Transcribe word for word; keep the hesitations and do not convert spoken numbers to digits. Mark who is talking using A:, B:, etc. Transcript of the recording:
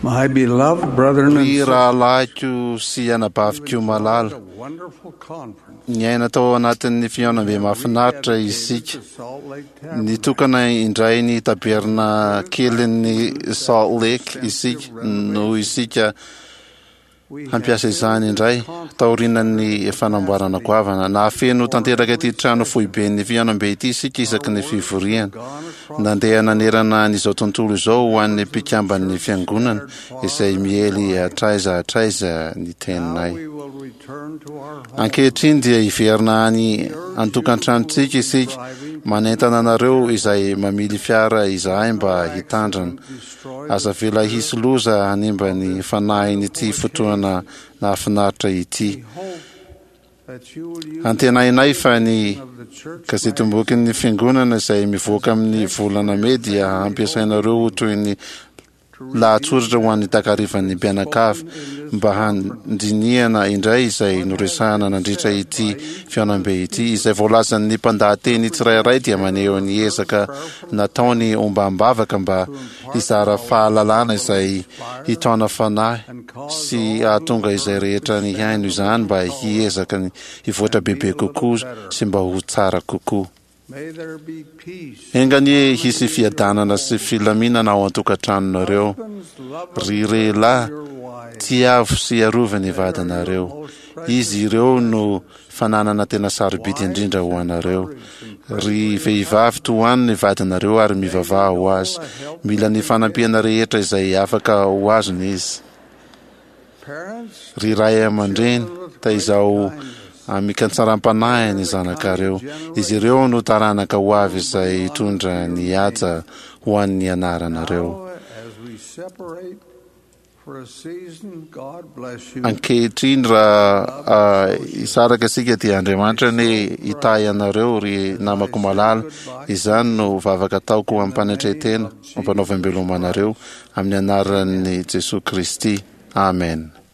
A: My beloved brethren and
B: Ry
A: sisters,
B: rahalahiko sy anabaviko malala,
A: a wonderful conference.
B: niaina tao anatin'ny fihaonambe mahafinaritra isika.
A: The Salt Lake Tabernacle.
B: Nitokana indray ny taberna kelin'ny Salt Lake isika noho isika
A: We
B: hampiasa izany indray taorian'ny fanamboarana goavana. Nahafeno tanteraka ity trano foiben'ny fihaonambe ity isika isaky ny fivoriana. Nandeha nanerana an'izao tontolo izao ho an'ny mpikamban'ny fiangonana izay miely hatraiza hatraiza ny teninay.
A: we will return to our home.
B: Ankehitriny dia hiverina any an-tokantranontsika isika. Manentana anareo izay mamily fiara izahay mba hitandrana. Aza avela hisy loza hanimba ny fanahin'ity fotoana nahafinaritra ity.
A: Hope that you will use
B: Antenainay fa ny
A: of the church
B: gazetim-bokin'ny fiangonana izay mivoaka amin'ny volana mey dia hampiasainareo ho toy ny lahatsoratra ho an'ny takarivan'ny mpianakavy mba handinihana indray izay noresahana nandritra ity fihaonambe ity. Izay voalazan'ny mpandahateny tsirairay dia maneho ny ezaka nataony ombam-bavaka mba hizara fahalalana izay hitaona fanahy sy hahatonga izay rehetra nihaino izany mba hiezaka ny hivoatra bebe kokoa sy mba ho tsara kokoa.
A: May there be peace.
B: Enga anie hisy fiadanana sy filaminana ao an-tokantranonareo.
A: Husbands, love
B: Ry lehilahy,
A: your wives.
B: tiavo sy arovy ny vadinareo. Izy ireo no fananana tena sarobidy indrindra ho anareo. Ry vehivavy, tohano ny vadinareo ary mivavaha ho azy. Mila ny fanampiana rehetra izay afaka ho azony izy.
A: Parents,
B: Ry ray aman-dreny, taizao amin-katsaram-panahy ny zanakareo. Izy ireo no taranaka ho avy izay hitondra ny haja ho an'ny anaranareo.
A: now as we separate for a season, God bless you.
B: Ankehitriny raha ah, hisaraka isika dia Andriamanitra anie hitahy anareo ry namako malala. Izany no vavaka ataoko am-panetren-tena, ampanaovam-beloma anareo amin'ny anaran'i Jesoa Kristy. Amen.